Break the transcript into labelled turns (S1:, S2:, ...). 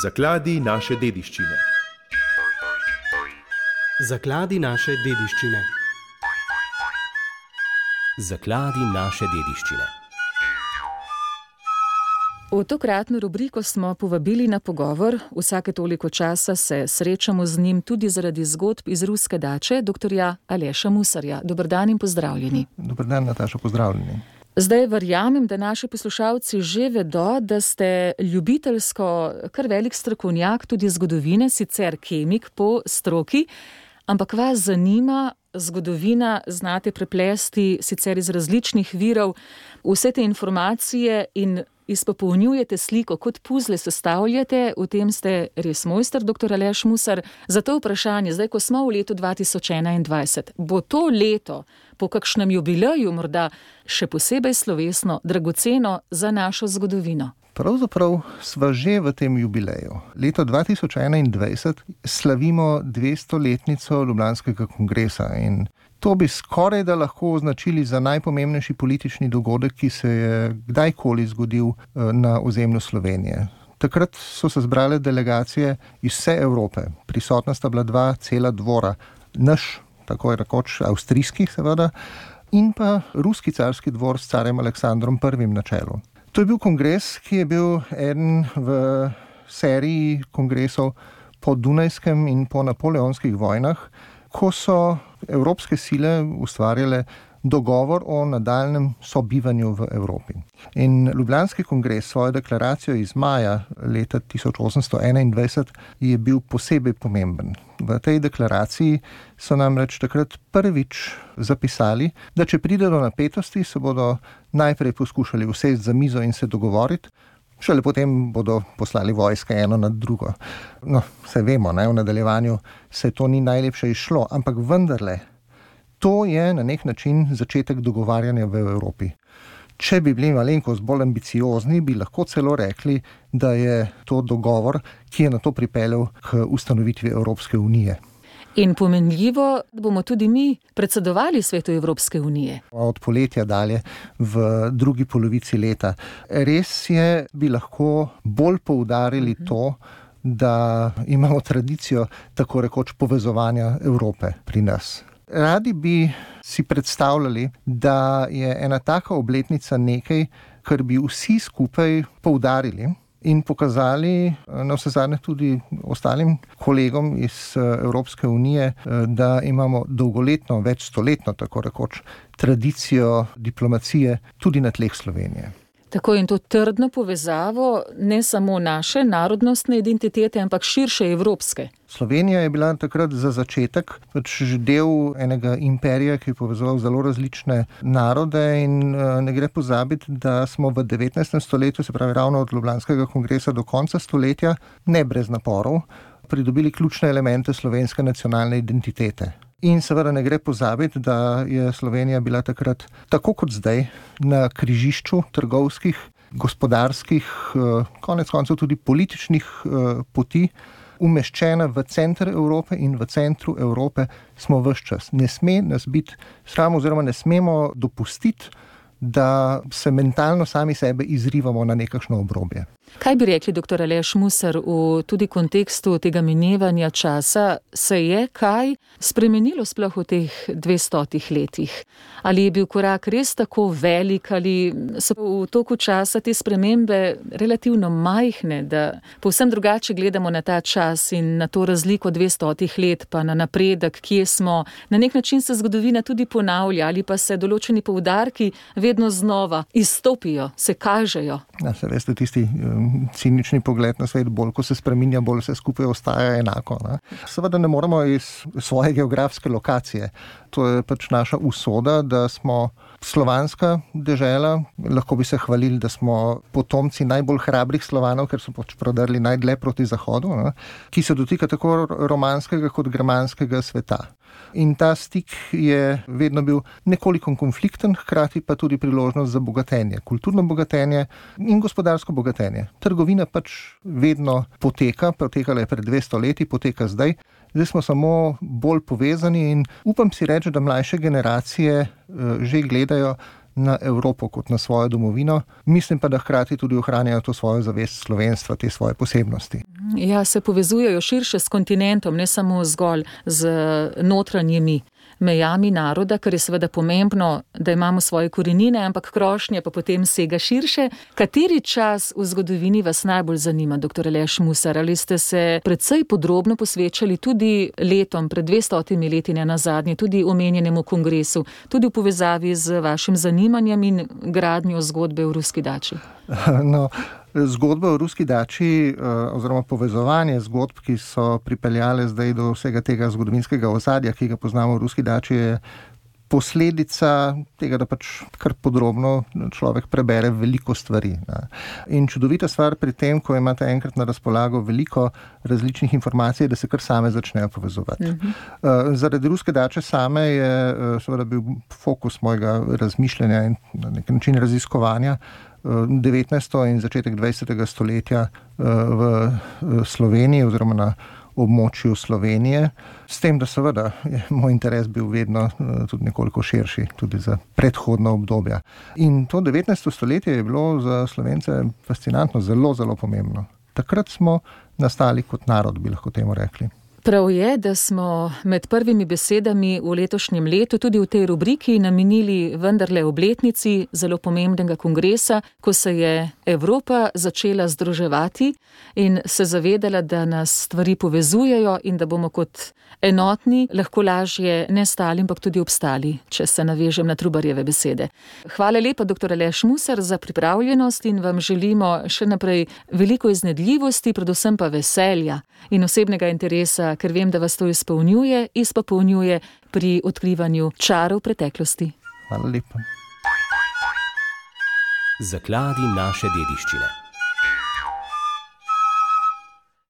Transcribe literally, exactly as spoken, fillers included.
S1: Zakladi naše dediščine.
S2: Zakladi naše dediščine.
S3: Zakladi naše dediščine.
S4: V tokratno rubriko smo povabili na pogovor. Vsake toliko časa se srečamo z njim tudi zaradi zgodb iz ruske dače, doktorja Aleša Musarja. Dober dan in pozdravljeni.
S5: Dober dan, Nataša, pozdravljeni.
S4: Zdaj verjamem, da naši poslušalci že vedo, da ste ljubiteljsko kar velik strokovnjak tudi zgodovine, sicer kemik po stroki, ampak vas zanima zgodovina, znate preplesti sicer iz različnih virov vse te informacije in izpopolnjujete sliko, kot puzle sestavljate, v tem ste res mojster, doktor Aleš Musar. Zato vprašanje, zdaj, ko smo v letu dva tisoč enaindvajset, bo to leto po kakšnem jubileju morda še posebej slovesno, dragoceno za našo zgodovino?
S5: Pravzaprav sva že v tem jubileju. Leto dva tisoč enaindvajset slavimo dvestoletnico Ljubljanskega kongresa in to bi skoraj da lahko označili za najpomembnejši politični dogodek, ki se je kdajkoli zgodil na ozemlju Slovenije. Takrat so se zbrale delegacije iz vse Evrope. Prisotna sta bila dva cela dvora. Naš, tako je rekoč, avstrijski seveda, in pa ruski carski dvor s carem Aleksandrom prvim na čelu. To je bil kongres, ki je bil eden v seriji kongresov po Dunajskem in po napoleonskih vojnah, ko so evropske sile ustvarjale dogovor o nadaljnjem sobivanju v Evropi. In Ljubljanski kongres, svojo deklaracijo iz maja leta tisoč osemsto enaindvajset, je bil posebej pomemben. V tej deklaraciji so namreč takrat prvič zapisali, da če pride do napetosti, se bodo najprej poskušali usesti za mizo in se dogovoriti, šele potem bodo poslali vojske eno nad drugo. No, se vemo, ne, v nadaljevanju se to ni najlepše izšlo, ampak vendarle, to je na nek način začetek dogovarjanja v Evropi. Če bi bili malenkost bolj ambiciozni, bi lahko celo rekli, da je to dogovor, ki je na to pripeljal k ustanovitvi Evropske unije.
S4: In pomenljivo, da bomo tudi mi predsedovali svetu Evropske unije.
S5: Od poletja dalje v drugi polovici leta. Res je, bi lahko bolj poudarili to, da imamo tradicijo tako rekoč povezovanja Evrope pri nas. Radi bi si predstavljali, da je ena taka obletnica nekaj, kar bi vsi skupaj poudarili in pokazali na vse zadnje tudi ostalim kolegom iz Evropske unije, da imamo dolgoletno, večstoletno, tako rekoč, tradicijo diplomacije tudi na tleh Slovenije.
S4: Tako in to trdno povezavo ne samo naše narodnostne identitete, ampak širše evropske.
S5: Slovenija je bila takrat za začetek pač že del enega imperija, ki je povezoval zelo različne narode in ne gre pozabiti, da smo v devetnajstem stoletju, se pravi ravno od Ljubljanskega kongresa do konca stoletja, ne brez naporov, pridobili ključne elemente slovenske nacionalne identitete. In seveda ne gre pozabiti, da je Slovenija bila takrat, tako kot zdaj, na križišču trgovskih, gospodarskih, konec koncev tudi političnih poti, umeščena v center Evrope in v centru Evrope smo ves čas. Ne sme nas biti sram oziroma ne smemo dopustiti, da se mentalno sami sebe izrivamo na nekakšno obrobje.
S4: Kaj bi rekli, doktor Aleš Musar, v tudi kontekstu tega minevanja časa, se je kaj spremenilo sploh v teh dvestotih letih? Ali je bil korak res tako velik, ali so v toku časa te spremembe relativno majhne, da povsem drugače gledamo na ta čas in na to razliko dvestotih let, pa na napredek, kje smo? Na nek način se zgodovina tudi ponavlja, ali pa se določeni poudarki vedno znova izstopijo, se kažejo?
S5: Ja, se veste, tisti cinični pogled na svet, bolj ko se spreminja, bolj se skupaj ostaja enako. Ne? Seveda ne moremo iz svoje geografske lokacije. To je pač naša usoda, da smo slovanska dežela, lahko bi se hvalili, da smo potomci najbolj hrabrih Slovanov, ker so pač prodrli najdlje proti zahodu, ne? Ki se dotika tako romanskega kot germanskega sveta. In ta stik je vedno bil nekoliko konflikten, hkrati pa tudi priložnost za bogatenje, kulturno bogatenje in gospodarsko bogatenje. Trgovina pač vedno poteka, potekala je pred dvesto leti, poteka zdaj. Zdaj smo samo bolj povezani in upam si reči, da mlajše generacije že gledajo na Evropo kot na svojo domovino. Mislim pa, da hkrati tudi ohranjajo to svojo zavest slovenstva, te svoje posebnosti.
S4: Ja, se povezujejo širše s kontinentom, ne samo zgolj z notranjimi mejami naroda, kar je seveda pomembno, da imamo svoje korenine, ampak krošnje pa potem sega širše. Kateri čas v zgodovini vas najbolj zanima, doktor Aleš Musar? Ali ste se precej podrobno posvečali tudi letom, pred dvestotimi leti ne nazadnje, tudi omenjenemu kongresu, tudi v povezavi z vašim zanimanjem in gradnjo zgodbe v ruski dači?
S5: No, zgodba o ruski dači oziroma povezovanje zgodb, ki so pripeljale zdaj do vsega tega zgodovinskega ozadja, ki ga poznamo v ruski dači, je posledica tega, da pač kar podrobno človek prebere veliko stvari. In čudovita stvar pri tem, ko imate enkrat na razpolago veliko različnih informacij, da se kar same začnejo povezovati. Mm-hmm. Zaradi ruske dače same je seveda bil fokus mojega razmišljanja in na nek način raziskovanja devetnajsto in začetek dvajsetega stoletja v Sloveniji oziroma na območju Slovenije, s tem, da seveda je moj interes bil vedno tudi nekoliko širši, tudi za predhodna obdobja. In to devetnajsto stoletje je bilo za Slovence fascinantno, zelo, zelo pomembno. Takrat smo nastali kot narod, bi lahko temu rekli.
S4: Prav je, da smo med prvimi besedami v letošnjem letu tudi v tej rubriki namenili vendarle obletnici zelo pomembnega kongresa, ko se je Evropa začela združevati in se zavedala, da nas stvari povezujejo in da bomo kot enotni lahko lažje ne stali, ampak tudi obstali, če se navežem na Trubarjeve besede. Hvala lepa, doktor Aleš Musar, za pripravljenost in vam želimo še naprej veliko iznajdljivosti, predvsem pa veselja in osebnega interesa, ker vem, da vas to izpolnjuje, izpopolnjuje pri odkrivanju čarov preteklosti.
S5: Hvala lepa.
S3: Zakladi naše dediščine.